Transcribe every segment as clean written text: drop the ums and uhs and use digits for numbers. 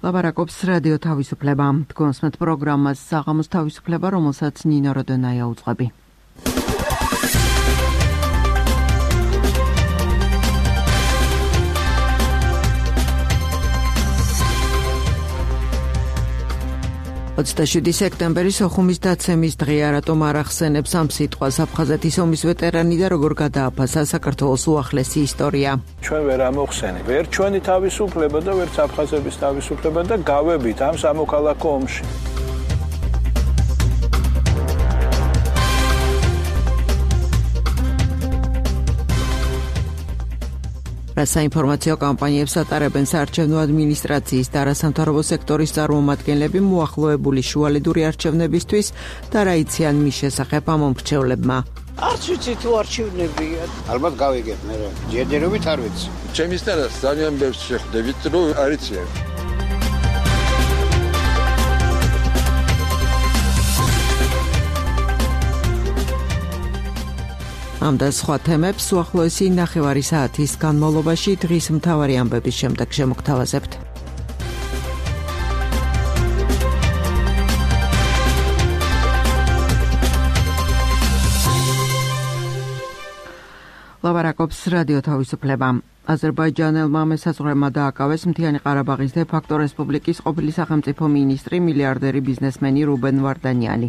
ლაპარაკობს რადიო თავისუფლება. თქვენსმეთ პროგრამას საღამოს თავისუფლება, რომელსაც ნინო როდონაია უწყები. სექტემბერი სოხუმის დაცემის დღეა, რატომ არ ახსენებს ამ სიტყვას აფხაზეთის ომის ვეტერანი და როგორ გადააფასა საქართველოს უახლესი ისტორია. ჩვენ ვერ ამოვხსენებ ვერ ჩვენი თავისუფლება და ვერც აფხაზების თავისუფლება და გავებით ამ სამოქალაქო ომში. საინფორმაციო კამპანიებს ატარებენ საარჩევნო ადმინისტრაციის და არასამთავრობო სექტორის წარმომადგენლები მოახლოებული შუალედური არჩევნებისთვის და რა იციან მის შესახებ ამ მომრჩევლებმა. არც ვიცი თუ არჩევნებია. ალბათ გავიგებ მე რა. ჯერჯერობით არ ვიცი. ჩემის თავს ძალიან ბევრს შეხვდებით, რომ არ იციან. ამ და სხვა თემებს უახლოესი ნახევარი საათის განმავლობაში დღის მთავარი ამბების შემდეგ შემოგთავაზებთ. ლაპარაკობს რადიო თავისუფლება. აზერბაიჯანელმა მესაზღვრემა დააკავეს მთიანი ყარაბაღის დე-ფაქტო რესპუბლიკის ყოფილი სახელმწიფო მინისტრი, მილიარდერი ბიზნესმენი რუბენ ვარდანიანი.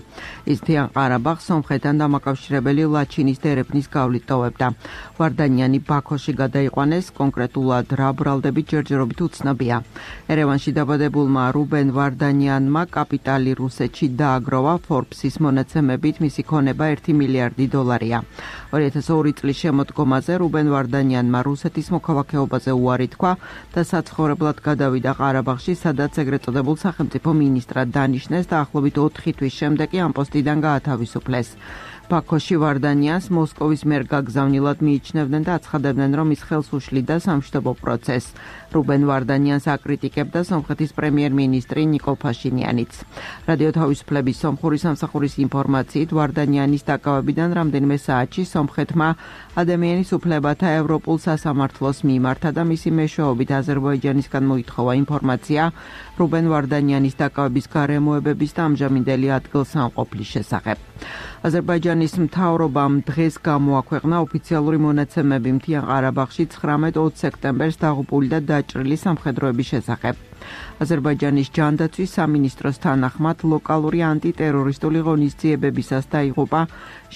ის მთიან ყარაბაღს სომხეთთან დამაკავშირებელი ლაჩინის დერეფნის გავლით ტოვებდა. ვარდანიანი ბაქოში გადაიყვანეს, კონკრეტულად რა ბრალდებით ჯერჯერობით უცნობია. ერევანში დაბადებულმა რუბენ ვარდანიანმა კაპიტალი რუსეთში დააგროვა, Forbes-ის მონაცემებით მისი ქონება 1 მილიარდი დოლარია. 2002 წლის შემოდგომაზე რუბენ ვარდანიანმა რუსეთის მოქალაქეობაზე უარი თქვა და საცხოვრებლად გადავიდა ყარაბაღში, სადაც ეგრეთ წოდებულ სახელმწიფო მინისტრად დანიშნეს და ახლობით 4 თვის შემდეგ ამ პოსტიდან გაათავისუფლეს. ბაქოში ვარდანიანს მოსკოვის მიერ გაგზავნილად მიიჩნევდნენ და აცხადებდნენ, რომ ის ხელს უშლიდა სამშვიდობო პროცესს. რუბენ ვარდანიანს აკრიტიკებდა სომხეთის პრემიერ-მინისტრი ნიკოლ ფაშინიანიც. რადიო თავისუფლების სომხური სამსახურის ინფორმაციით, ვარდანიანის დაკავებიდან რამდენიმე საათში სომხეთმა ადამიანის უფლებათა ევროპულ სასამართლოს მიმართა და მისი მეშვეობით აზერბაიჯანისგან მოითხოვა ინფორმაცია რუბენ ვარდანიანის დაკავების გარემოებების და ამჟამინდელი ადგილსამყოფლის შესახებ. აზერბაიჯანის მთავრობამ დღეს გამოაქვეყნა ოფიციალური მონაცემები მთიან ყარაბაღში 19-20 სექტემბერს დაღუპული და დაჭრილი სამხედროების შესახებ. აზერბაიჯანის ჯანდაცვის სამინისტროს თანახმად ლოკალური ანტიტერორისტული ღონისძიებებისას დაიღუპა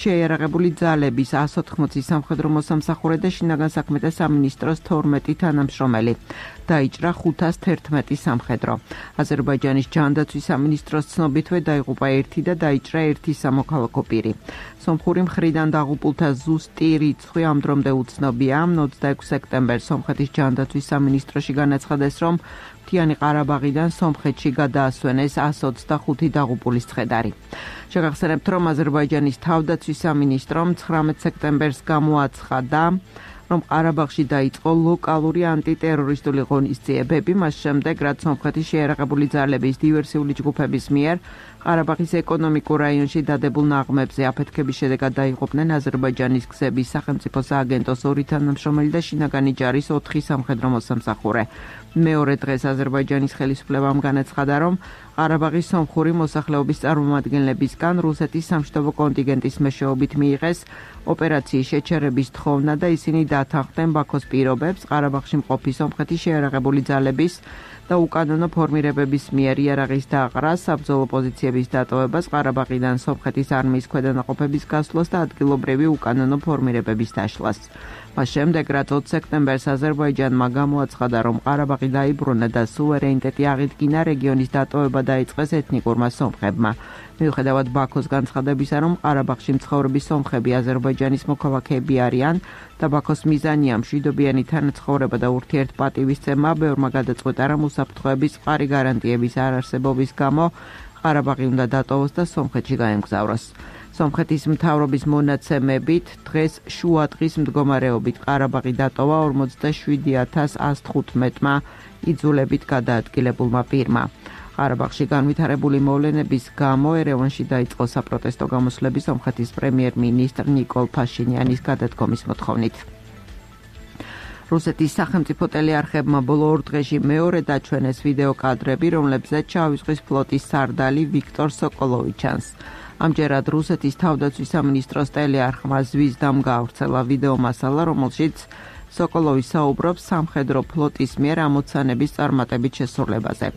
შეიარაღებული ძალების 180 სამხედრო მოსამსახურე და შინაგან საქმეთა სამინისტროს 12 თანამშრომელი. დაიჭრა 511 სამხედრო. აზერბაიჯანის ჯანდაცვის სამინისტროს ცნობითვე დაიღუპა 1 და დაიჭრა 1 სამოქალაქო პირი. სომხური მხრიდან დაღუპულთა ზუსტი რიცხვი ამ დრომდე უცნობია. 26 სექტემბერს სომხეთის ჯანდაცვის სამინისტროში განაცხადეს, რომ მთიანი ყარაბაღიდან სომხეთში გადაასვენეს 125 დაღუპულის ცხედარი. შეგახსენებთ, რომ აზერბაიჯანის თავდაცვის სამინისტრომ 19 სექტემბერს გამოაცხადა, რომ ყარაბაღში დაიწყო ლოკალური ანტიტერორისტული ღონისძიებები, მას შემდეგ, რაც სომხეთის შეიარაღებული ძალების დივერსიული ჯგუფების მიერ ყარაბაღის ეკონომიკურ რაიონში დადებულ ნაღმებზე აფეთქების შედეგად დაიღუპნენ აზერბაიჯანის გზების სახელმწიფო სააგენტოს 2 თანამშრომელი და შინაგანი ჯარის 4 სამხედრო მოსამსახურე. მეორე დღეს აზერბაიჯანის ხელისუფლებამ განაცხადა, რომ ყარაბაღის სომხური მოსახლეობის წარმომადგენლებისგან რუსეთის სამშვიდობო კონტინგენტის მეშვეობით მიიღეს ოპერაციის შეჩერების თხოვნა და ისინი დათანხმდნენ ბაქოს პირობებს ყარაბაღში მყოფი სომხეთის შეიარაღებული ძალების და უკანონო ფორმირებების მიერ იარაღის დაყრას, საბრძოლო პოზიციების დატოვებას, ყარაბაღიდან სომხეთის არმიის ქვედანაყოფების გასვლას და ადგილობრივი უკანონო ფორმირებების დაშლას. მას შემდეგ, რაც 20 სექტემბერს აზერბაიჯანმა გამოაცხადა, რომ ყარაბაღი დაიბრუნა და სუვერენიტეტი აღიდგინა, რეგიონის დატოვება დაიწყეს ეთნიკურმა სომხებმა. მიუხედავად ბაქოს განცხადებისა, რომ ყარაბაღში მცხოვრები სომხები აზერბაიჯანის მოქალაქეები არიან და ბაქოს მიზანია მშვიდობიანი თანაცხოვრება და ურთიერთპატივისცემა, ბევრმა გადაწყვეტა, რომ უსაფრთხოების მყარი გარანტიების არარსებობის გამო ყარაბაღი უნდა დატოვოს და სომხეთში გაემგზავროს. სომხეთის მთავრობის მონაცემებით დღეს შუადღის მდგომარეობით ყარაბაღი დატოვა 47115-მა იძულებით გადაადგილებულმა პირმა. ყარაბაღში განვითარებული მოვლენების გამო ერევანში დაიწყო საპროტესტო გამოსვლები სომხეთის პრემიერ-მინისტრ ნიკოლ ფაშინიანის გადადგომის მოთხოვნით. რუსეთის სახელმწიფო ტელეარხებმა ბოლო 2 დღეში მეორე დაჩვენეს ვიდეო კადრები, რომლებზეც შავი ზღვის ფლოტის სარდალი ვიქტორ სოკოლოვი ჩანს. ამჯერად რუსეთის თავდაცვის სამინისტროს ტელეარხმა ზვისდამ გაავრცელა ვიდეო მასალა, რომელშიც სოკოლოვი საუბრობს სამხედრო ფლოტის მიერ ამოცანების წარმატებით შესრულებაზე.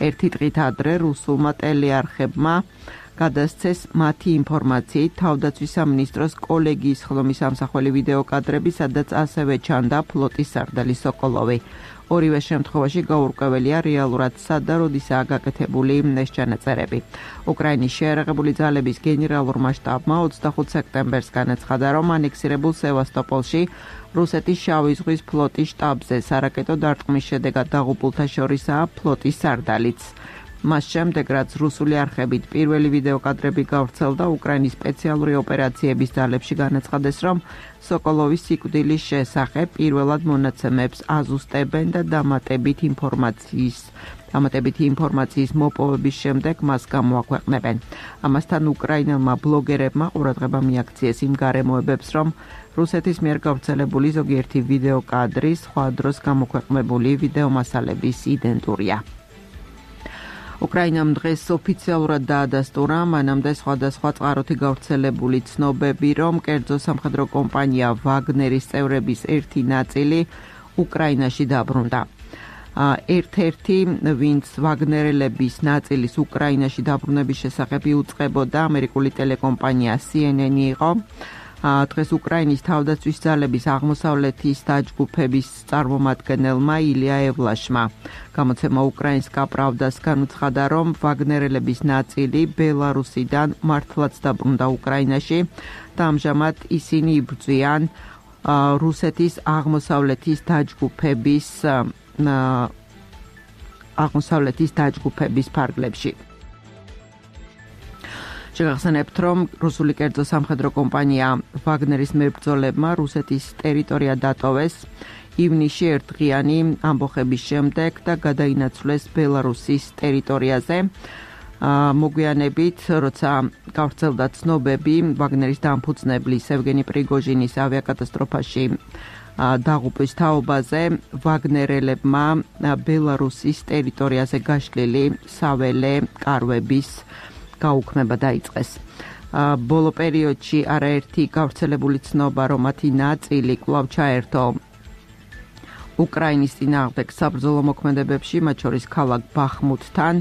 ერთი დღით ადრე რუსულმა ტელეარხებმა გადასცეს მათი ინფორმაციით თავდაცვის სამინისტროს კოლეგიის ხლომის ამსახველი ვიდეო კადრები, სადაც ასევე ჩანდა ფლოტის სარდალი სოკოლოვი. ორივე შემთხვევაში გაურკვეველია რეალურად სად და როდისაა გაკეთებული ეს ჩანაწერები. უკრაინის შეიარაღებული ძალების გენერალურმა შტაბმა 25 სექტემბერს განაცხადა, რომ ანექსირებულ სევასტოპოლში რუსეთის შავი ზღვის ფლოტის შტაბზე სარაკეტო დარტყმის შედეგად დაღუპულთა შორისაა ფლოტის სარდალიც. მას შემდეგ, რაც რუსული არხებით პირველი ვიდეო კადრები გავრცელდა, უკრაინის სპეციალური ოპერაციების ძალებში განაცხადეს, რომ სოკოლოვის სიკვდილის შესახებ პირველად მონაცემებს აზუსტებენ და დამატებითი ინფორმაციის მოპოვების შემდეგ მას გამოაქვეყნებენ. ამასთან უკრაინელმა ბლოგერებმა ყურადღება მიაქციეს იმ გარემოებებს, რომ რუსეთის მიერ გავრცელებული ზოგიერთი ვიდეო კადრი სხვა დროს გამოქვეყნებული ვიდეო მასალების იდენტურია. უკრაინამ დღეს ოფიციალურად დაადასტურა მანამდე სხვადასხვა წყაროთი გავრცელებული ცნობები, რომ კერძო სამხედრო კომპანია ვაგნერის წევრების ერთი ნაწილი უკრაინაში დაბრუნდა. ერთ-ერთი, ვინც ვაგნერელების ნაწილის უკრაინაში დაბრუნების შესახებ იუწყებოდა, ამერიკული ტელეკომპანია CNN იყო. დღეს უკრაინის თავდაცვის ძალების აღმოსავლეთის დაჯგუფების წარმომადგენელმა ილია ევლაშმა გამოცემა უკრაინსკა პრავდას განუცხადა, რომ ვაგნერელების ნაწილი ბელარუსიდან მართლაც დაბრუნდა უკრაინაში და ამჟამად ისინი იბრძვიან რუსეთის აღმოსავლეთის დაჯგუფების ფარგლებში. შეგახსენებთ, რომ რუსული კერძო სამხედრო კომპანია ვაგნერის მებრძოლებმა რუსეთის ტერიტორია დატოვეს ივნისში ერთდღიანი ამბოხების შემდეგ და გადაინაცვლეს ბელარუსის ტერიტორიაზე. მოგვიანებით, როცა გავრცელდა ცნობები ვაგნერის დამფუძნებლის ევგენი პრიგოჟინის ავიაკატასტროფაში დაღუპვის თაობაზე, ვაგნერელებმა ბელარუსის ტერიტორიაზე გაშლილი საველე კარვების გაუქმება დაიწყეს. ბოლო პერიოდში არაერთი გავრცელებული ცნობა, რომ მათი ნაწილი კვლავ ჩაერთო უკრაინის წინააღმდეგ საბრძოლო მოქმედებებში, მათ შორის ქალაქ ბახმუთთან,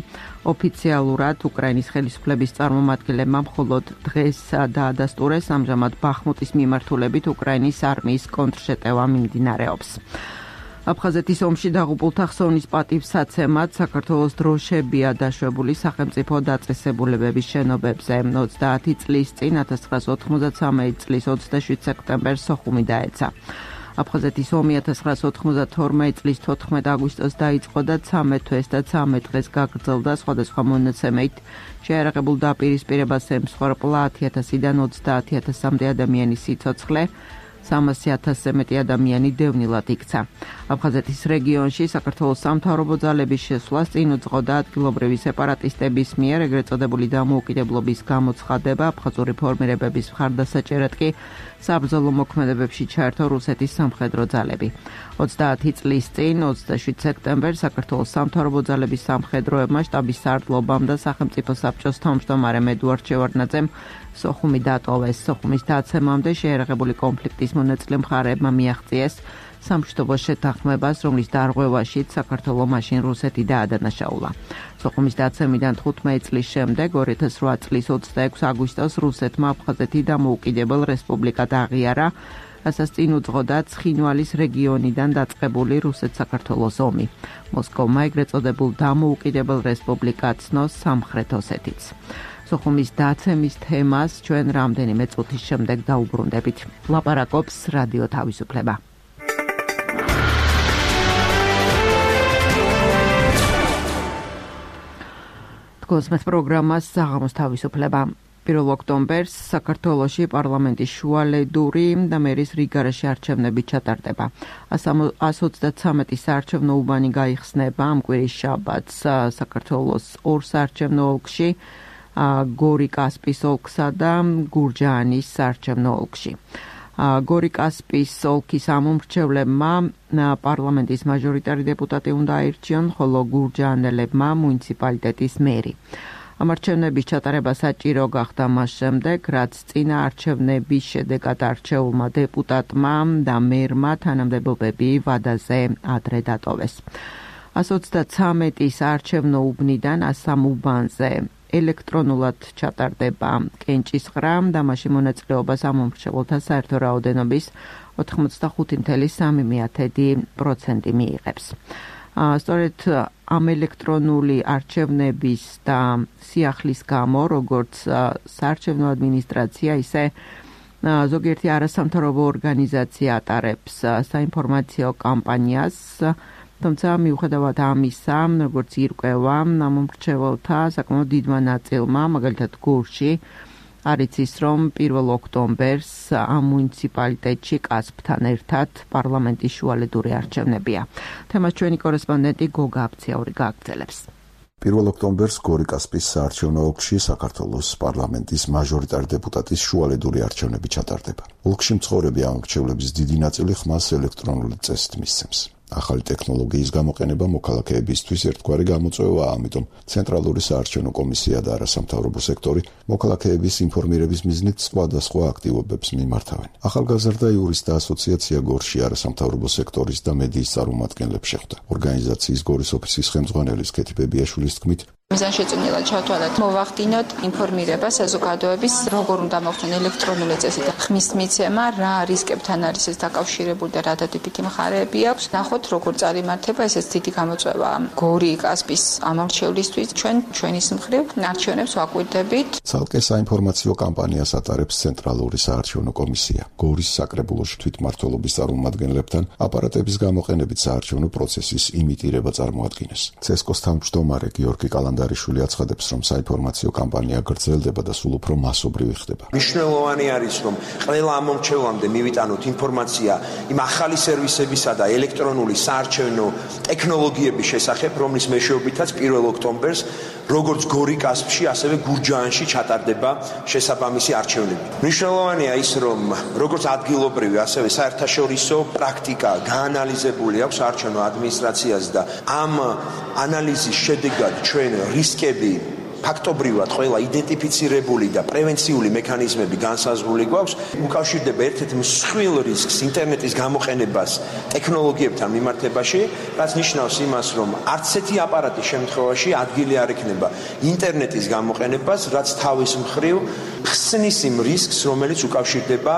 ოფიციალურად უკრაინის ხელისუფლების წარმომადგენლებმა მხოლოდ დღეს დაადასტურეს, ამჟამად ბახმუტის მიმართულებით უკრაინის არმიის კონტრშეტევა მიმდინარეობს. აფხაზეთის ომში დაღუპულთა ხსოვნის პატივსაცემად საქართველოს დროშებია დაშვებული სახელმწიფო დაწესებულებების შენობებზე. 30 წლის წინ 1993 წლის 27 სექტემბერს სოხუმი დაეცა. აფხაზეთის ომი 1992 წლის 14 აგვისტოს დაიწყო და 13 თვეს და 13 დღეს გაგრძელდა. სხვადასხვა მონაცემებით შეიარაღებულ დაპირისპირებას ემსხვერპლა 10,000-დან 30,000-მდე ადამიანის სიცოცხლე. 300,000-ზე მეტი ადამიანი დევნილად იქცა. აფხაზეთის რეგიონში საქართველოს სამთავრობო ძალების შესვლას წინ უძღოდა ადგილობრივი სეპარატისტების მიერ ეგრეთ წოდებული დამოუკიდებლობის გამოცხადება, აფხაზური ფორმირებების მხარდასაჭერად კი საბრძოლო მოქმედებებში ჩაერთო რუსეთის სამხედრო ძალები. 30 წლის წინ 27 სექტემბერს საქართველოს სამთავრობო ძალების სამხედროებმა შტაბის სარდლობამ და სახელმწიფო საბჭოს თავმჯდომარემ ედუარდ შევარდნაძემ სოხუმი დატოვეს. სოხუმის დაცემამდე შეიარაღებული კონფლიქტის მონაწილე მხარეებმა მიაღწიეს სამშვიდობო შეთანხმებას, რომლის დარღვევაშიც საქართველო მაშინ რუსეთი დაადანაშაულა. სოხუმის დაცემიდან 15 წლის შემდეგ 2008 წლის 26 აგვისტოს რუსეთმა აფხაზეთი დამოუკიდებელ რესპუბლიკად აღიარა, რასაც წინ უძღოდა ცხინვალის რეგიონიდან დაწყებული რუსეთ-საქართველოს ომი. მოსკოვმა ეგრეთ წოდებულ დამოუკიდებელ რესპუბლიკად ცნოს სამხრეთ ოსეთიც. სოხუმის დაცემის თემას ჩვენ რამდენიმე წუთის შემდეგ დაუბრუნდებით. ლაპარაკობს რადიო თავისუფლება. თქოსმეთ პროგრამას საღამოს თავისუფლება. 1 ოქტომბერს საქართველოში პარლამენტის შუალედური და მერის რიგარაში არჩევნები ჩატარდება. 133 საარჩევნო უბანი გაიხსნება ამ კვირის შაბათს საქართველოს 2 საარჩევნო ოლქში, გორი-კასპის ოლქსა და გურჯაანის საარჩევნო ოლქში. გორიკასპის ოლქის ამომრჩევლებმა პარლამენტის მაჟორიტარი დეპუტატი უნდა აირჩიონ, ხოლო გურჯაანელებმა მუნიციპალიტეტის მერი. ამ არჩევნების ჩატარება საჭირო გახდა მას შემდეგ, რაც წინა არჩევნების შედეგად არჩეულმა დეპუტატმა და მერმა თანამდებობები ვადაზე ადრე დატოვეს. 133-ის არჩევნო უბნიდან 103 უბანზე ელექტრონულად ჩატარდება კენჭისყრა და მასში მონაწილეობას ამომრჩეველთა საერთო რაოდენობის 85.3% მიიღებს. სწორედ ამ ელექტრონული არჩევნების და სიახლის გამო, როგორც საარჩევნო ადმინისტრაცია, ისე ზოგიერთი არასამთავრობო ორგანიზაცია ატარებს საინფორმაციო კამპანიას, თუმცა მიუხედავად ამისა, როგორც ირკვევა, ამომრჩეველთა საკმაოდ დიდმა ნაწილმა, მაგალითად გურში, არ იცის, რომ 1 ოქტომბერს ამ მუნიციპალიტეტში კასპთან ერთად პარლამენტის შუალედური არჩევნებია. თემას ჩვენი კორესპონდენტი გოგა აბციაური გააგრძელებს. 1 ოქტომბერს გორიკასპის საარჩევნო ოლქში საქართველოს პარლამენტის მაჟორიტარი დეპუტატის შუალედური არჩევნები ჩატარდება. ოლქში მცხოვრები ამომრჩევლების დიდი ნაწილი ხმას ელექტრონული წესით მისცემს. ახალი ტექნოლოგიის გამოყენება მოქალაქეებისთვის ერთგვარი გამოწვევაა, ამიტომ ცენტრალური საარჩევნო კომისია და არასამთავრობო სექტორი მოქალაქეების ინფორმირების მიზნით სხვადასხვა აქტივობებს მიმართავენ. ახალგაზრდა იურისტთა ასოციაცია გორში არასამთავრობო სექტორის და მედიის წარმომადგენლებს შეხვდა. ორგანიზაციის გორის ოფისის ხელმძღვანელის კეთი ბებიაშვილის თქმით, მიზანშეწონილად ჩავთვალოთ, მოვახდინოთ ინფორმირება საზოგადოების, როგორ უნდა მოხდეს ელექტრონული წესით ხმის მიცემა, რა რისკებთან არის ეს დაკავშირებული და რა დადებითი მხარეები აქვს. ნახოთ, როგორ წარიმართება, ესეც დიდი გამოწვევაა გორიკასპის ამომრჩევლისთვის. ჩვენი მხრივ არჩევნებს ვაკვირდებით. ცალკე საინფორმაციო კამპანიას ატარებს ცენტრალური საარჩევნო კომისია. გორის საკრებულოში თვითმმართველობის წარმომადგენლებთან აპარატების გამოყენებით საარჩევნო პროცესის იმიტირება წარმოადგინეს. ცესკოს თავმჯდომარე გიორგი კალანდარიშვილი აცხადებს, რომ საინფორმაციო კამპანია გრძელდება და სულ უფრო მასობრივი ხდება. მნიშვნელოვანი არის, რომ ყველა ამომრჩევლამდე მივიტანოთ ინფორმაცია იმ ახალი სერვისებისა და ელექტრონული საარჩევნო ტექნოლოგიების შესახებ, რომლის მეშვეობითაც 1 ოქტომბერს როგორც გორიკასპში, ასევე გურჯაანში ჩატარდება შესაბამისი არჩევნები. მნიშვნელოვანია ის, რომ როგორც ადგილობრივი, ასევე საერთაშორისო პრაქტიკა გაანალიზებული აქვს საარჩევნო ადმინისტრაციას და ამ ანალიზის შედეგად ჩვენ რისკები ფაქტობრივად ყველა იდენტიფიცირებული და პრევენციული მექანიზმები განსაზღვრული გვაქვს. უკავშირდება ერთ-ერთ მსხვილ რისკს ინტერნეტის გამოყენებას ტექნოლოგიებთან მიმართებაში, რაც ნიშნავს იმას, რომ არც ერთი აპარატის შემთხვევაში ადგილი არ ექნება ინტერნეტის გამოყენებას, რაც თავის მხრივ ხსნის იმ რისკს, რომელიც უკავშირდება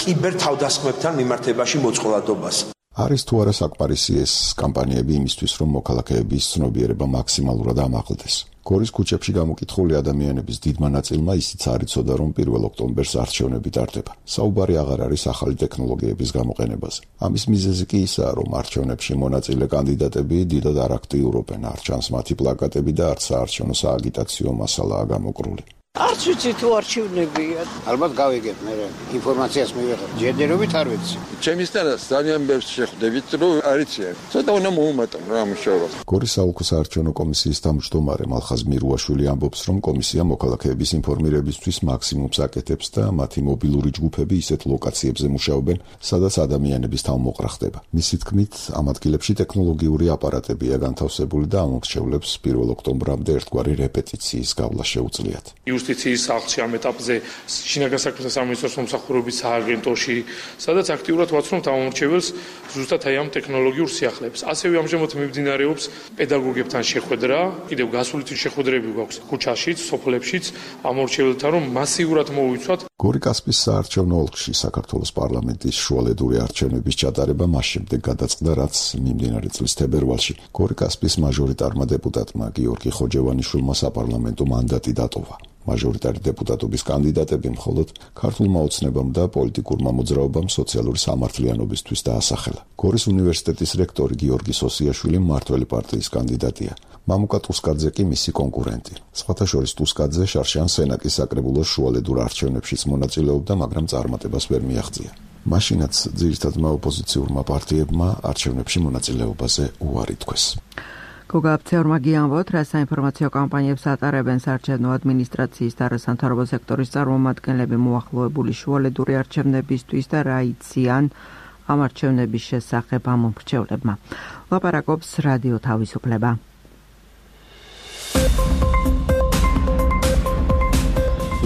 კიბერთავდასხმებთან მიმართებაში მოწყვლადობას. არის თუ არა საკმარისი ეს კამპანიები იმისთვის, რომ მოქალაქეების ცნობიერება მაქსიმალურად ამაღლდეს. გორის ქუჩებში გამოკითხული ადამიანების დიდმა ნაწილმა ისიც არ იცოდა, რომ 1 ოქტომბერს არჩევნები ტარდება. საუბარი აღარ არის ახალი ტექნოლოგიების გამოყენებაზე. ამის მიზეზი კი ისაა, რომ არჩევნებში მონაწილე კანდიდატები დიდად არ აქტიურობენ, არ ჩანს მათი პლაკატები და არც საარჩევნო სააგიტაციო მასალაა გამოკრული. არც ვიცი თუ არჩევნებია. ალბათ გავიგებ, მე ინფორმაციას მივიღებ. ჯერჯერობით არ ვიცი. ჩემისთანაც ძალიან ბევრს შეხვდებით, რომ არიციან. ცოტა უნდა მოუმატონ რა მუშაობა. გორის საოლქო საარჩევნო კომისიის თავმჯდომარე მალხაზ მირუაშვილი ამბობს, რომ კომისია მოქალაქეების ინფორმირებისთვის მაქსიმუმს აკეთებს და მათი მობილური ჯგუფები ისეთ ლოკაციებზე მუშაობენ, სადაც ადამიანების თავმოყრა ხდება. მისი თქმით, ამ ადგილებში ტექნოლოგიური აპარატებია განთავსებული და ამომრჩევლებს 1 ოქტომბრამდე ერთგვარი რეპეტიციის გავლა შეუძლიათ. იუსტიციის სახლში ამ ეტაპზე შინაგან საქმეთა სამინისტროს მომსახურების სააგენტოში, სადაც აქტიურად ვაცნობთ ამომრჩეველს ზუსტად აი ამ ტექნოლოგიურ სიახლეებს. ასევე ამჟამად მიმდინარეობს პედაგოგებთან შეხვედრა, კიდევ გასული წლის შეხვედრები გვაქვს ქუჩაშიც, სოფლებშიც ამომრჩეველთან, რომ მასიურად მოვიცვათ. გორიკასპის საარჩევნო ოლქში საქართველოს პარლამენტის შუალედური არჩევნების ჩატარება მას შემდეგ გადაწყდა, რაც მიმდინარე წლის თებერვალში გორიკასპის მაჟორიტარმა დეპუტატმა გიორგი ხოჯევანიშვილმა საპარლამენტო მანდატი დატოვა. მაჟორიტარი დეპუტატობის კანდიდატები მხოლოდ ქართულმა ოცნებამ და პოლიტიკურმა მოძრაობამ სოციალური სამართლიანობისთვის დაასახელა. გორის უნივერსიტეტის რექტორი გიორგი სოსიაშვილი მმართველი პარტიის კანდიდატია. მამუკა ტუსკაძე კი მისი კონკურენტი. სხვათა შორის ტუსკაძე შარშან სენაკის საკრებულოს შუალედურ არჩევნებშიც მონაწილეობდა, მაგრამ წარმატებას ვერ მიაღწია. მაშინაც ძირითადმა ოპოზიციურმა პარტიებმა არჩევნებში მონაწილეობაზე უარი თქვეს. გოგა აფცეორმა გიამბოთ, რა საინფორმაციო კამპანიებს ატარებენ საარჩევნო ადმინისტრაციის და არასამთავრობო სექტორის წარმომადგენლები მოახლოებული შუალედური არჩევნებისთვის და რა იციან ამ არჩევნების შესახებ ამ მომრჩევლებმა. ლაპარაკობს რადიო თავისუფლება.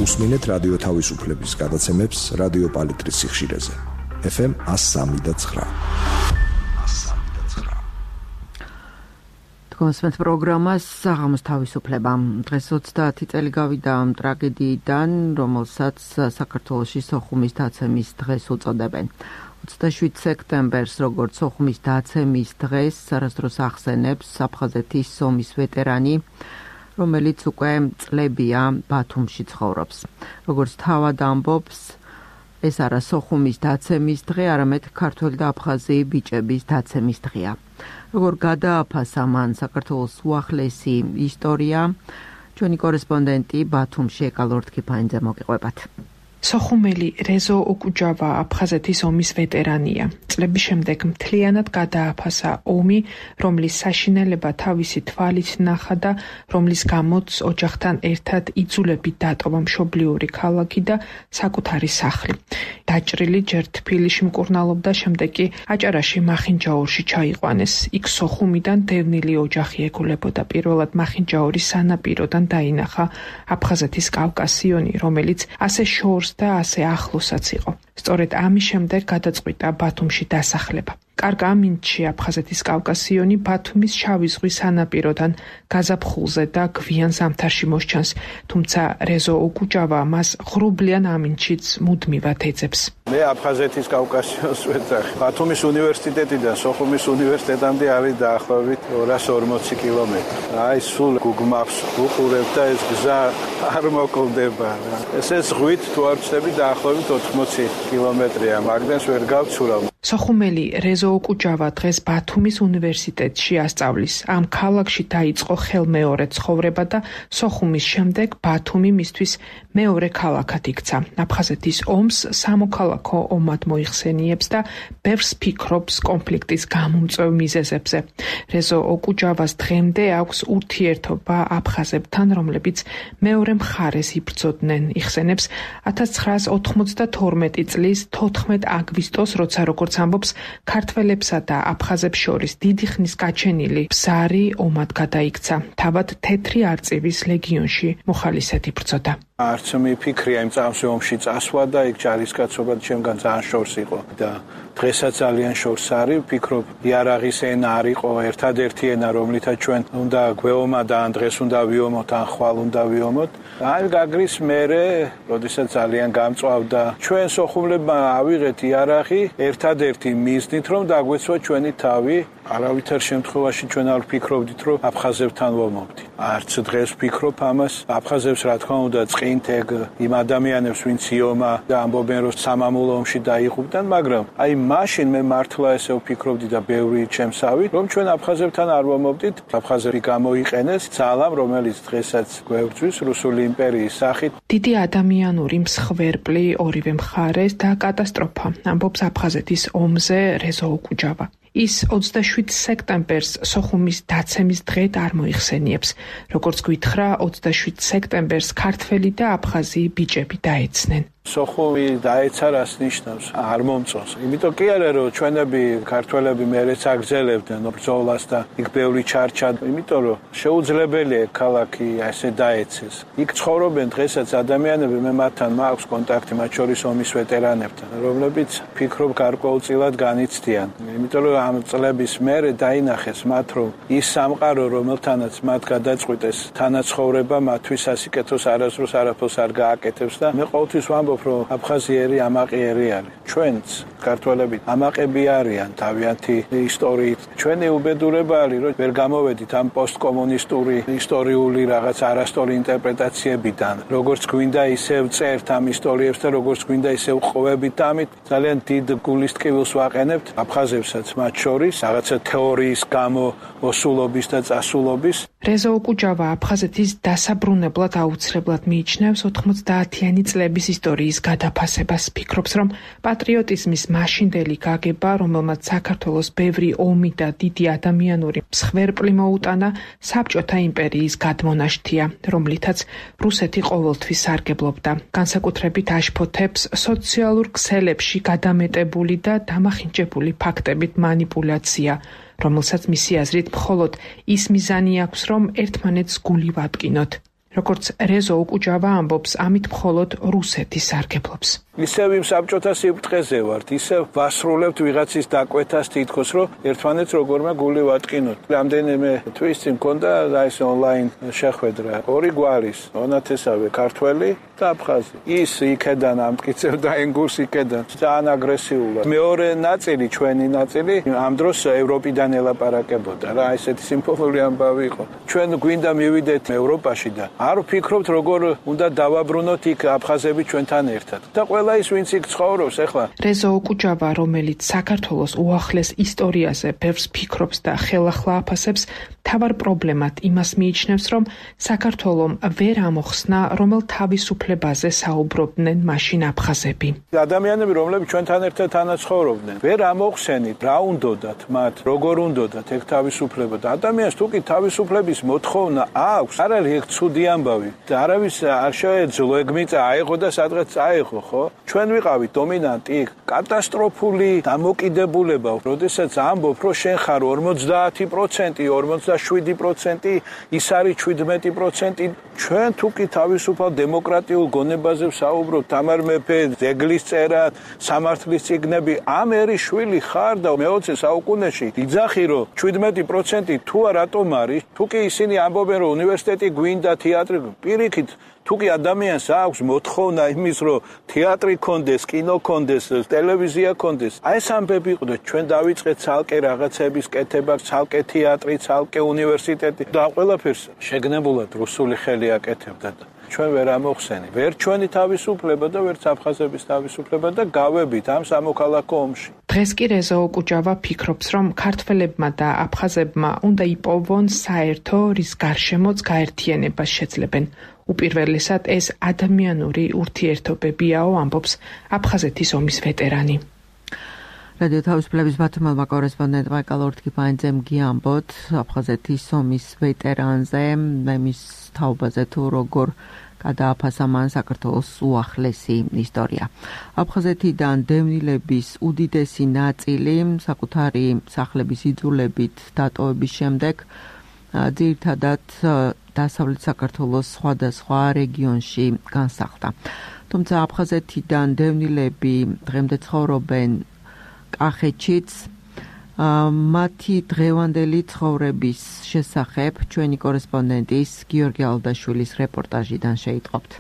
უსმინეთ რადიო თავისუფლების გადაცემებს რადიო პალიტრის სიხშირეზე. FM 103.9. კონსმენთ პროგრამას საღამოს თავისუფლება. დღეს 30 წელი გავიდა ამ ტრაგედიიდან, რომელსაც საქართველოში სოხუმის დაცემის დღეს უწოდებენ. 27 სექტემბერს, როგორც სოხუმის დაცემის დღეს, არასდროს ახსენებს აფხაზეთის ომის ვეტერანი, რომელიც უკვე წლებია ბათუმში ცხოვრობს. როგორც თავად ამბობს, ეს არა სოხუმის დაცემის დღე, არამედ ქართველი და აფხაზი ბიჭების დაცემის დღეა. როგორ გადააფასა მან საქართველოს უახლესი ისტორია, ჩვენი კორესპონდენტი ბათუმში ეკალორთქიფანიძე მოგიყვებათ. სოხუმელი რეზო ოკუჯავა აფხაზეთის ომის ვეტერანია. წლების შემდეგ მთლიანად გადააფასა ომი, რომლის საშინელება თავისი თვალით ნახა და რომლის გამოც ოჯახთან ერთად იძულებით დატოვა მშობლიური ქალაქი და საკუთარი სახლი. დაჭრილი ჯერ თბილისში მკურნალობდა, შემდეგ კი აჭარაში მახინჯაურში ჩაიყვანეს. იქ სოხუმიდან დევნილი ოჯახი ეკულებოდა. პირველად მახინჯაურის სანაპიროდან დაინახა აფხაზეთის კავკასიონი, რომელიც ასე შორს და ასე ახლოსაც იყო. სწორედ ამის შემდეგ გადაწყვიტა ბათუმში დასახლება. კარგ ამინდში აფხაზეთის კავკასიონი ბათუმის შავი ზღვის სანაპიროდან გაზაფხულზე და გვიან ზამთარში მოსჩანს, თუმცა რეზო ოკუჯავა მას ღრუბლიან ამინდშიც მუდმივად ეძებს. მე აფხაზეთის კავკასიონს ვეძახი. ბათუმის უნივერსიტეტიდან სოხუმის უნივერსიტეტამდე არის დაახლოებით 240 კილომეტრი. აი სულ Google Maps უყურებ და ეს გზა არ მოკლდება. ესე ზღვით თუ არ ვწდები დაახლოებით 80 კილომეტრია, მაგდენს ვერ გავცურავ. სოხუმელი რეზო ოკუჯავა დღეს ბათუმის უნივერსიტეტში ასწავლის. ამ ქალაქში დაიწყო ხელმეორე ცხოვრება და სოხუმის შემდეგ ბათუმი მისთვის მეორე ქალაქად იქცა. აფხაზეთის ომს სამოქალაქო ომად მოიხსენიებს და ბევრს ფიქრობს კონფლიქტის გამომწვევ მიზეზებზე. რეზო ოკუჯავას დღემდე აქვს ურთიერთობა აფხაზებთან, რომლებიც მეორე მხარეს იბრძოდნენ. იხსენებს 1992 წლის 14 აგვისტოს, როცა როგორც ამბობს, ქართველებსა და აფხაზებს შორის დიდი ხნის გაჩენილი ბზარი ომად გადაიქცა. თავად თეთრი არწივის ლეგიონში მოხალისედ იბრძოდა. არც მიფიქრია იმ წამსვე ომში წასვლა და იქ ჯარისკაცობა ჩემგან ძალიან შორს იყო და დღესაც ძალიან შორს არის. ვფიქრობ, იარაღის ენა არ იყო ერთადერთი ენა, რომლითაც ჩვენ უნდა გვეომოთ და ან დღეს უნდა ვიომოთ, ან ხვალ უნდა ვიომოთ. აი გაგრის მერე, როდესაც ძალიან გამწვავდა, ჩვენ სოხუმლებმა ავიღეთ იარაღი ერთადერთი მიზნით, რომ დაგვეცვა ჩვენი თავი. არავითარ შემთხვევაში ჩვენ არ ვფიქრობდით, რომ აფხაზებთან ვომობდით. არც დღეს ვფიქრობ ამას. აფხაზებს რა თქმა უნდა წყინთ ეგ იმ ადამიანებს, ვინც იომა და ამბობენ, რომ სამამულო ომში დაიღუპდნენ, მაგრამ აი მაშინ მე მართლა ესე ვფიქრობდი და ბევრი ჩემსავით, რომ ჩვენ აფხაზებთან არ ვომობდით. აფხაზები გამოიყენეს ძალამ, რომელიც დღესაც გვევძვის რუსული იმპერიის სახით. დიდი ადამიანური მსხვერპლი ორივე მხარეს და კატასტროფა, ამბობს აფხაზეთის ომზე რეზო ოკუჯავა. ის 27 სექტემბერს სოხუმის დაცემის დღედ არ მოიხსენიებს. როგორც გითხრა, 27 სექტემბერს ქართველი და აფხაზი ბიჭები დაეცნენ. სოხუმი დაეცა რას ნიშნავს? არ მომწონს. იმიტომ კი არა, რომ ჩვენები ქართველები მერეც აგზელებდნენ ბრძოლას და იქ ბევრი ჩარჩა, იმიტომ რომ შეუძლებელია ქალაქი ასე დაეცეს. იქ ცხოვრობენ დღესაც ადამიანები, მე მათთან მაქვს კონტაქტი, მათ შორის ომის ვეტერანებთან, რომლებიც ფიქრობ გარკვეულწილად განიცდიან. იმიტომ რომ ამ წლების მერე დაინახეს მათ, რომ ის სამყარო, რომელთანაც მათ გადაწყვიტეს თანაცხოვრება, მათთვის სასიკეთოს არასდროს არაფერს არ გააკეთებს და მე ყოველთვის ვამბობ, რომ აფხაზიერი ამაყიერი არის. ჩვენც ქართველები ამაყები არიან თავიანთი ისტორიით. ჩვენი უბედურება არის, რომ ვერ გამოვედით ამ პოსტკომუნისტური ისტორიული რაღაც არასწორი ინტერპრეტაციებიდან. როგორც გვინდა ისევ წერთ ამ ისტორიებს და როგორც გვინდა ისევ ყვებით და ამით ძალიან დიდ გულის ტკივილს ვაყენებთ აფხაზებსაც მათ შორის რაღაცა თეორიის გამო ოსულობის და წასულობის. რეზო ოკუჯავა აფხაზეთის დასაბრუნებლად აუცილებლად მიიჩნევს 90-იანი წლების ისტორიის გადაფასებას. ფიქრობს, რომ პატრიოტიზმის მაშინდელი გაგება, რომელმაც საქართველოს ბევრი ომი და დიდი ადამიანური მსხვერპლი მოუტანა, საბჭოთა იმპერიის გადმონაშთია, რომლითაც რუსეთი ყოველთვის სარგებლობდა. განსაკუთრებით აშფოთებს სოციალურ ქსელებში გადამეტებული და დამახინჯებული ფაქტებით манипуляცია, რომელსაც მისი აზრით მხოლოდ ის მიზანი აქვს, რომ ერთმანეთს გული ვატკინოთ. როგორც რეზო უკუჯავა ამბობს, ამით მხოლოდ რუსეთი სარგებლობს. ისევ იმ საბჭოთა სიბრტყეზე ვართ, ისევ ვასრულებთ ვიღაცის დაკვეთას თითქოს, რომ ერთმანეთს როგორმე გული ვატკინოთ. რამდენიმე თვის წინ მქონდა ეს ონლაინ შეხვედრა, ორი გვარის, მონათესავე ქართველი და აფხაზი. ის იქედან ამტკიცებდა ენგურს იქედან, ძალიან აგრესიულად. მეორე ნაწილი, ჩვენი ნაწილი, ამ დროს ევროპიდან ელაპარაკებოდა რა, ესეთი სიმბოლური ამბავი იყო. ჩვენ გვინდა მივიდეთ ევროპაში და არ ვფიქრობთ, როგორ უნდა დავაბრუნოთ იქ აფხაზები ჩვენთან ერთად. და ყველა ის ვინც იქ ცხოვრობს ახლა. რეზო უკუჯავა, რომელიც საქართველოს უახლეს ისტორიაზე ბევრს ფიქრობს და ხელახლა აფასებს, თავარ პრობლემად იმას მიიჩნევს, რომ საქართველომ ვერ ამოხსნა, რომელ თავისუფლებაზე საუბრობდნენ მაშინ აფხაზები. ადამიანები, რომლებიც ჩვენთან ერთად თანაცხოვრობდნენ, ვერ ამოხსენით, რა უნდოდათ მათ, როგორ უნდოდათ ეგ თავისუფლება და ადამიანს თუ კი თავისუფლების მოთხოვნა აქვს, არ არის ეგ ცუდი ამბავი და არავის არ შეეძლო ეგ მიწა აიღო და სადღაც წაიღო, ხო? ჩვენ ვიყავით დომინანტი, კატასტროფული დამოკიდებულება, როდესაც ამბობ, რომ შენ ხარ 50%, 47%, ის არის 17%. ჩვენ თუ კი თავისუფალ დემოკრატიულ გონებაზე ვსაუბრობთ, თამარ მეფე, ძეგლის წერა, სამართლის წიგნები, ამ ერის შვილი ხარ და მე-20 საუკუნეში იძახი, რომ 17% თუ რატომ არის? თუ კი ისინი ამბობენ, რომ უნივერსიტეტი გვინდა, თეატრი, პირიქით თუ კი ადამიანს აქვს მოთხოვნა იმის, რომ თეატრი კონდეს, კინო კონდეს, ტელევიზია კონდეს, აი ეს ამბები იყდეთ, ჩვენ დავიწყეთ ცალკე რაღაცების კეთება, ცალკე თეატრი, ცალკე უნივერსიტეტი და ყველაფერს შეგნებულად რუსული ხელი აკეთებდა და ჩვენ ვერ ამოხსენით. ვერ ჩვენი თავისუფლება და ვერც აფხაზების თავისუფლება და გავებით ამ სამოქალაქო ომში. დღეს კი რეზო უკუჯავა ფიქრობს, რომ ქართველებმა და აფხაზებმა უნდა იპოვონ საერთო, რის გარშემოც გაერთიანებას შეძლებენ. უპირველესად ეს ადამიანური ურთიერთობებიაო, ამბობს აფხაზეთის ომის ვეტერანი. რადიო თავისუფლების ბათუმელმა კორესპონდენტმა კალორთკიფაინძემ გიამბოთ აფხაზეთის ომის ვეტერანზე, მის თაობაზე თუ როგორ გადააფასა მან საქართველოს უახლესი ისტორია. აფხაზეთიდან დევნილების უდიდესი ნაწილი საკუთარი სახლების იძულებით დატოვების შემდეგ ძირითადად დასავლეთ საქართველოს სხვადასხვა რეგიონში განსახლდა. თუმცა აფხაზეთიდან დევნილები დღემდე ცხოვრობენ კახეთშიც. მათი დღევანდელი ცხოვრების შესახებ ჩვენი კორესპონდენტის გიორგი ალდაშვილის რეპორტაჟიდან შეიტყობთ.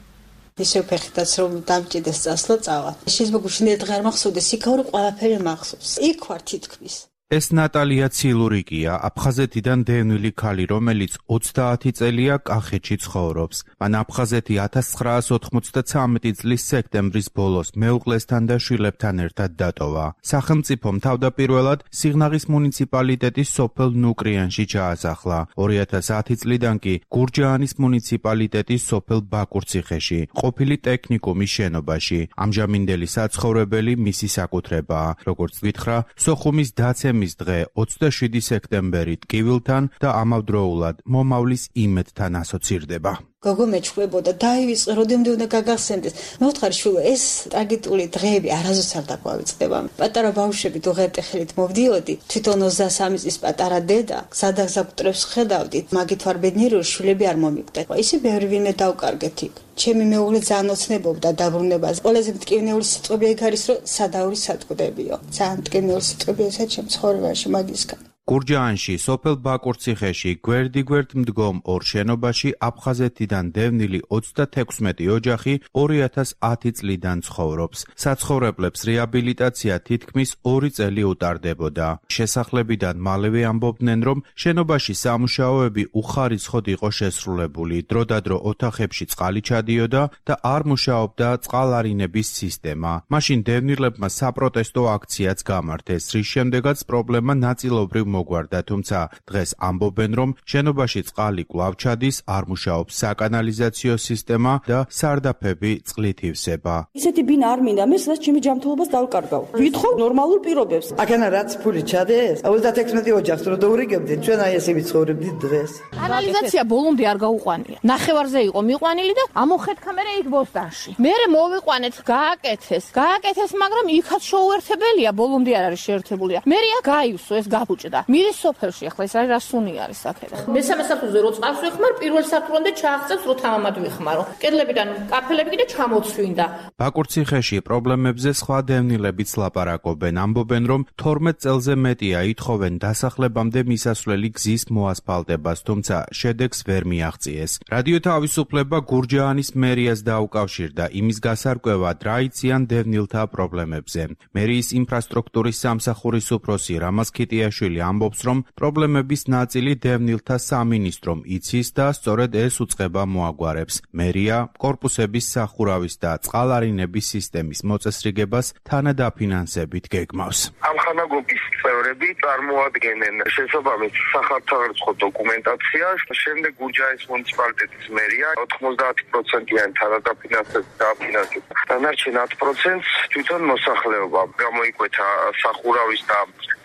ისევ ფეხითაც რომ დამჭიდეს წასვლა წავა. შეიძლება გუშინდელი დღე არ მახსოვდეს, იქაური ყველაფერი მახსოვს. იქ ვარ თითქმის. ეს ნატალია ცილურიკია, აფხაზეთიდან დევნილი ქალი, რომელიც 30 წელია კახეთში ცხოვრობს. მან აფხაზეთი 1993 წლის სექტემბრის ბოლოს მეუღლესთან და შვილებთან ერთად დატოვა. სახელმწიფომ თავდაპირველად სიღნაღის მუნიციპალიტეტის სოფელ ნუკრიანში ჩაასახლა. 2010 წლიდან კი გურჯაანის მუნიციპალიტეტის სოფელ ბაკურციხეში, ყოფილი ტექნიკუმის შენობაში. ამჟამინდელი საცხოვრებელი მისი საკუთრებაა. როგორც გითხრა, სოხუმის დაცემის დღე 27 სექტემბერი ტკივილთან და ამავდროულად მომავლის იმედთან ასოცირდება. გოგო მეჩხლებოდა, დაივიწყე, როდემდე უნდა გაგახსენდეს. მე ვთხარი შვილო, ეს ტრაგიკული დღეები არასდროს არ დაგვავიწყდება. პატარა ბავშვები თუ ღერტი ხელით მოვდიოდი, თვითონ 23 წლის პატარა დედა, სადაც აკუტრებს ხედავდით, მაგით ვარ ბედნიერი, შვილები არ მომიკვდეთ. ისე ბევრი ვინმე დავკარგეთ იქ. ჩემი მეუღლე ძალიან ოცნებობდა დაბრუნებას. ყველაზე მტკივნეული სიტყვები ეგ არის, რომ სადავრი სატყდებიო. ძალიან მტკივნეული სიტყვებია ესა ჩემ ცხოვრებაში მაგისგან. გურჯაანში, სოფელ ბაკურციხეში, გვერდ მდგომ ორ შენობაში აფხაზეთიდან დევნილი 36 ოჯახი 2010 წლიდან ცხოვრობს. საცხოვრებლებს რეაბილიტაცია თითქმის 2 წელი უტარდებოდა. შესახლებიდან მალევე ამბობდნენ, რომ შენობაში სამუშაოები უხარისხოდ იყო შესრულებული. დროდადრო ოთახებში წყალი ჩადიოდა და არ მუშაობდა წყალარინების სისტემა. მაშინ დევნილებმა საპროტესტო აქციაც გამართეს, რის შემდეგაც პრობლემა ნაწილობრივ მოგვარდა, თუმცა დღეს ამბობენ, რომ შენობაში წყალი კვლავ ჩადის, არ მუშაობს საკანალიზაციო სისტემა და სარდაფები წყლით ივსება. ისეთი ბინა არ მინდა, მე სადაც ჩემი ჯანმრთელობას დავკარგავ. ვითხოვ ნორმალურ პირობებს. აქანა რაც ფული ჩადეს, 36 ოჯახს რო დაურიგებდნენ, ჩვენ აი ესე ვიცხოვრებდით დღეს. კანალიზაცია ბოლომდე არ გაუყვანია. ნახევარზე იყო მიყვანილი და ამოხეთქა მე იქ ბოსტანში. მე მოვიყვანეთ, გააკეთეს, მაგრამ იქაც შეუერთებელია, ბოლომდე არ არის შეერთებულია. მე გაივსო ეს გაბუჭდა. მირის სოფელში ახლა ეს რა სუნი არის აქედან. მესამე სართულზე რო წყალს ვიხმარ, პირველ სართულამდე ჩააღწევს რო თამამად ვიხმარო. კედლებიდან კაფელები კიდე ჩამოცვინდა. ბაკურციხეში პრობლემებზე სხვა დევნილებიც ლაპარაკობენ, ამბობენ, რომ 12 წელზე მეტია ითხოვენ დასახლებამდე მისასვლელი გზის მოასფალტებას, თუმცა შედეგს ვერ მიაღწიეს. რადიო თავისუფლება გურჯაანის მერიას დაუკავშირდა იმის გასარკვევად, რა იციან დევნილთა პრობლემებზე. მერიის ინფრასტრუქტურის სამსახურის უფროსი რამაზ ქიტიაშვილი ამბობს, რომ პრობლემების ნაწილი დევნილთა სამინისტრომ იცის და სწორედ ეს უწყება მოაგვარებს. მერია კორპუსების სახურავის და წყალარინების სისტემის მოწესრიგებას თანადაფინანსებით გეგმავს. ამ ხანაგობის წევრები წარმოადგენენ შესაბამის სახალხო დოკუმენტაციას, შემდეგ გურჯაანის მუნიციპალიტეტის მერია 90%-იან თანადაფინანსებით დააფინანსებს. დანარჩენ 10%-ს თვითონ მოსახლეობა გამოიკვეთა სახურავის და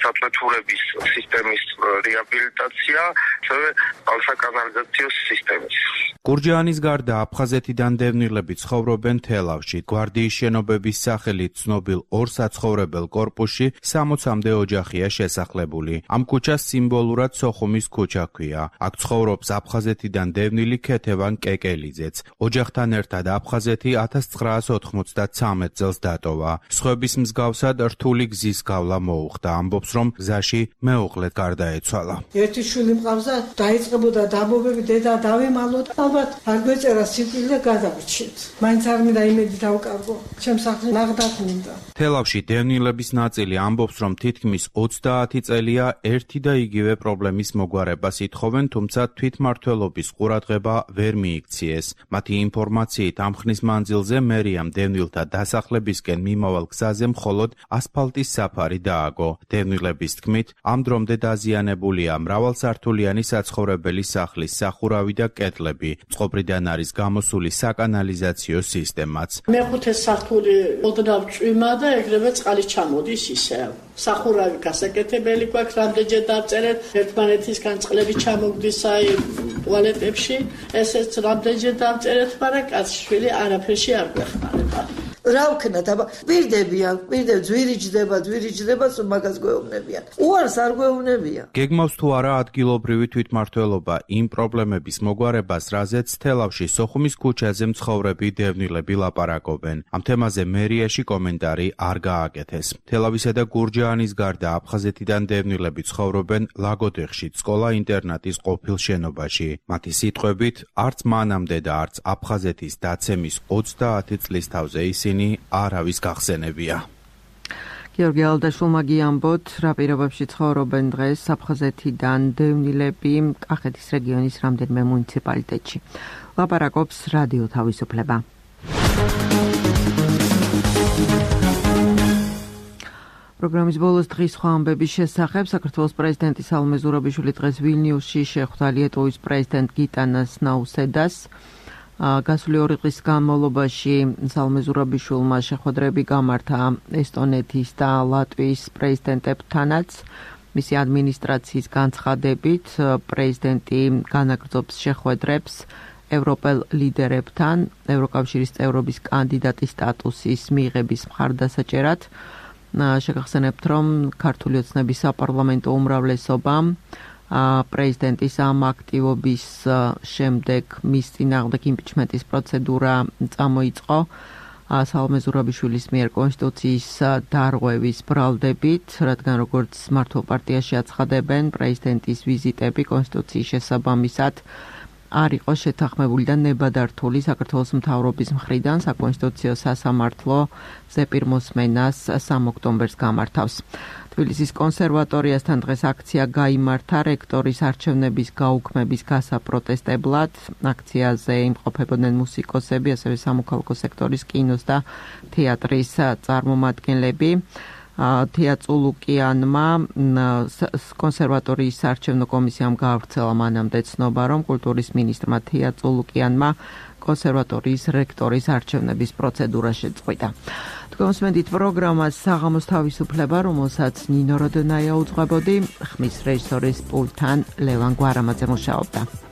საწვეთურების სისტემის რეაბილიტაცია, ასევე წყალსაკანალიზაციო სისტემის. გურჯაანის გარდა აფხაზეთიდან დევნილები ცხოვრობენ თელავში. გვარდიის შენობების სახელით ცნობილ ორ საცხოვრებელ კორპუსში 60-მდე ოჯახია შესახლებული. ამ ქუჩას სიმბოლურად სოხუმის ქუჩა ჰქვია. აქ ცხოვრობს აფხაზეთიდან დევნილი ქეთევან კეკელიძეც. ოჯახთან ერთად აფხაზეთი 1993 წელს დატოვა. სხვების მსგავსად რთული გზის გავლა მოუხდა. ამბობს, რომ გზაში მეუღლედ გარდაეცვალა. ერთი შვილი მყავდა, დაიწყებოდა დაბობები, დედა დავიმალოთ. ალბათ არ გვეწერა სიკვდილი და გადავრჩით. მაინც არ მინდა იმედი დავკარგო. ჩემს სახლში ნაღდათ მინდა. თელავში დევნილების ნაწილი ამბობს, რომ თითქმის 30 წელია ერთი და იგივე პრობლემის მოგვარებას ითხოვენ, თუმცა თვითმმართველობის ყურადღება ვერ მიიქციეს. მათი ინფორმაციით ამ ხნის მანძილზე მერიამ დევნილთა დასახლებისკენ მიმავალ გზაზე მხოლოდ ასფალტის საფარი დააგო. დევნილების თქმით, ამ დრომდე დაზიანებულია მრავალსართულიანი საცხოვრებელი სახლის სახურავი და კედლები. წყობრიდან არის გამოსული საკანალიზაციო სისტემაც. მეხუთე სართული ოდნავ წვიმა და ეგრევე წყალი ჩამოდის ისევ. სახურავი გასაკეთებელი გვაქვს, რამდენჯერ დავწერეთ, ერთმანეთისგან წყლები ჩამოგდის აი ტუალეტებში, ესეც რამდენჯერ დავწერეთ, მაგრამ კაცშვილი არაფერში არ გვეხმარება. რა ვქნათ, აბა პირდებიან, ძვირიჯდება, მაგას გვეუბნებიან. უარს არ გვეუბნებიან. გეგმავს თუ არა ადგილობრივი თვითმმართველობა იმ პრობლემების მოგვარებას, რაზეც თელავში სოხუმის ქუჩაზე მცხოვრები დევნილები ლაპარაკობენ. ამ თემაზე მერიაში კომენტარი არ გააკეთეს. თელავისა და გურჯაანის გარდა აფხაზეთიდან დევნილები ცხოვრობენ ლაგოდეხში, სკოლა-ინტერნატის ყოფილ შენობაში. მათი სიტყვებით, არც მანამდე და არც აფხაზეთის დაცემის 30 წლის თავზე ისინი არავის გახსენებია. გიორგი ალდაშვილმა გიამბოთ, რა პირობებში ცხოვრობენ დღეს აფხაზეთიდან დევნილები კახეთის რეგიონის რამდენიმე მუნიციპალიტეტში. ლაპარაკობს რადიო თავისუფლება. პროგრამის ბოლოს დღის სხვა ამბების შესახებ საქართველოს პრეზიდენტი სალომე ზურაბიშვილი დღეს ვილნიუსში შეხვდა ლიეტუვის პრეზიდენტ გიტანას ნაუსედას. გასული 2 დღის განმავლობაში სალომე ზურაბიშვილმა შეხვედრები გამართა ესტონეთის და ლატვიის პრეზიდენტებთანაც. მისი ადმინისტრაციის განცხადებით, პრეზიდენტი განაგრძობს შეხვედრებს ევროპელ ლიდერებთან ევროკავშირის წევრობის კანდიდატის სტატუსის მიღების მხარდასაჭერად. შეგახსენებთ, რომ ქართული ოცნების საპარლამენტო უმრავლესობამ პრეზიდენტის ამ აქტივობის შემდეგ მის წინააღმდეგ იმპიჩმენტის პროცედურა წამოიწყო სალომე ზურაბიშვილის მიერ კონსტიტუციის დარღვევის ბრალდებით, რადგან როგორც მართლ პარტიაში აცხადებენ, პრეზიდენტის ვიზიტები კონსტიტუციის შესაბამისად არ იყო შეთანხმებული და ნებადართული საქართველოს მთავრობის მხრიდან საკონსტიტუციო სასამართლო ზეპირმოსმენას 3 ოქტომბერს გამართავს. თბილისის კონსერვატორიასთან დღეს აქცია გაიმართა რექტორის არჩევნების გაუქმების გასაპროტესტებლად. აქციაზე იმყოფებოდნენ მუსიკოსები, ასევე სამოქალაქო სექტორის კინოს და თეატრის წარმომადგენლები. თია წულუკიანმა კონსერვატორიის საარჩევნო კომისიამ გაავრცელა მანამდე ცნობა, რომ კულტურის მინისტრმა თია წულუკიანმა კონსერვატორიის რექტორის არჩევნების პროცედურა შეწყვიტა. Თქვენს პროგრამას საღამოს თავისუფლება, რომელსაც ნინო როდონაია უძღვებოდი, ხმის რეჟისორის პულტთან ლევან გვარამაძე მუშაობდა.